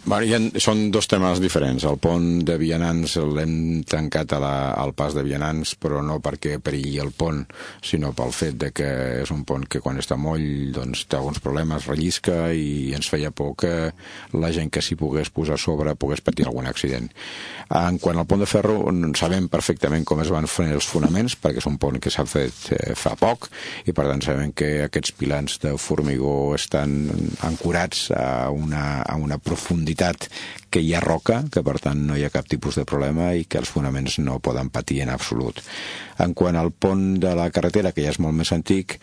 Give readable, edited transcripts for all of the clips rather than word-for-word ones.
Són dos temes diferents. El pont de Vianants l'hem tancat al pas de Vianants, però no perquè perilli el pont, sinó pel fet de que és un pont que quan està moll doncs, té alguns problemes, rellisca, i ens feia por que la gent que s'hi pogués posar a sobre pogués patir algun accident. En quant al pont de ferro, sabem perfectament com es van fer els fonaments, perquè és un pont que s'ha fet fa poc, i per tant sabem que aquests pilars de formigó estan ancorats a una profunditat que hi ha roca, que per tant no hi ha cap tipus de problema i que els fonaments no poden patir en absolut. En quant al pont de la carretera, que ja és molt més antic,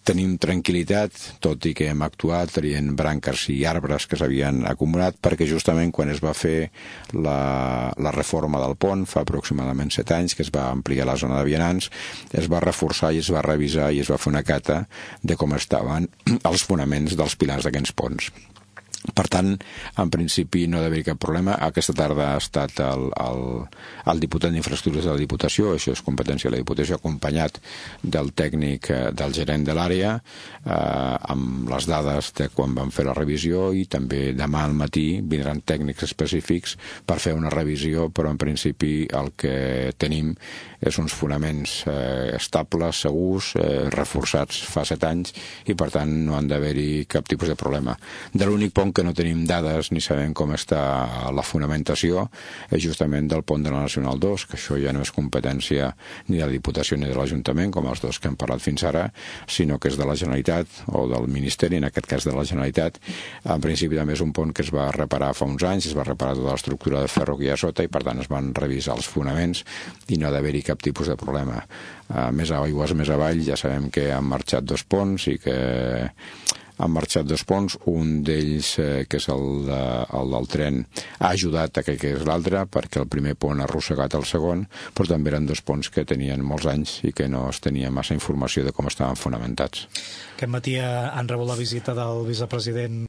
tenim tranquil·litat, tot i que hem actuat traient branques i arbres que s'havien acumulat, perquè justament quan es va fer la reforma del pont, fa aproximadament 7 anys, que es va ampliar la zona de Vianants, es va reforçar i es va revisar i es va fer una cata de com estaven els fonaments dels pilars d'aquests ponts. Per tant, en principi no ha d'haver cap problema. Aquesta tarda ha estat el diputat d'Infraestructures de la Diputació, això és competència de la Diputació, acompanyat del tècnic, del gerent de l'àrea, amb les dades de quan van fer la revisió, i també demà al matí vindran tècnics específics per fer una revisió, però en principi el que tenim és uns fonaments estables, segurs, reforçats fa 7 anys, i per tant no han d'haver-hi cap tipus de problema. De l'únic pont que no tenim dades ni sabem com està la fonamentació és justament del pont de la Nacional 2, que això ja no és competència ni de la Diputació ni de l'Ajuntament, com els dos que hem parlat fins ara, sinó que és de la Generalitat o del Ministeri, en aquest cas de la Generalitat. En principi també és un pont que es va reparar fa uns anys, es va reparar tota l'estructura de ferro que hi ha sota, i per tant es van revisar els fonaments i no ha d'haver-hi cap tipus de problema. Més aigües, més avall, ja sabem que han marxat 2 ponts i que han marxat 2 ponts, un d'ells, que és el del tren, ha ajudat a que és l'altre, perquè el primer pont ha arrossegat el segon, però també eren 2 ponts que tenien molts anys i que no es tenia massa informació de com estaven fonamentats. Aquest matí han rebut la visita del vicepresident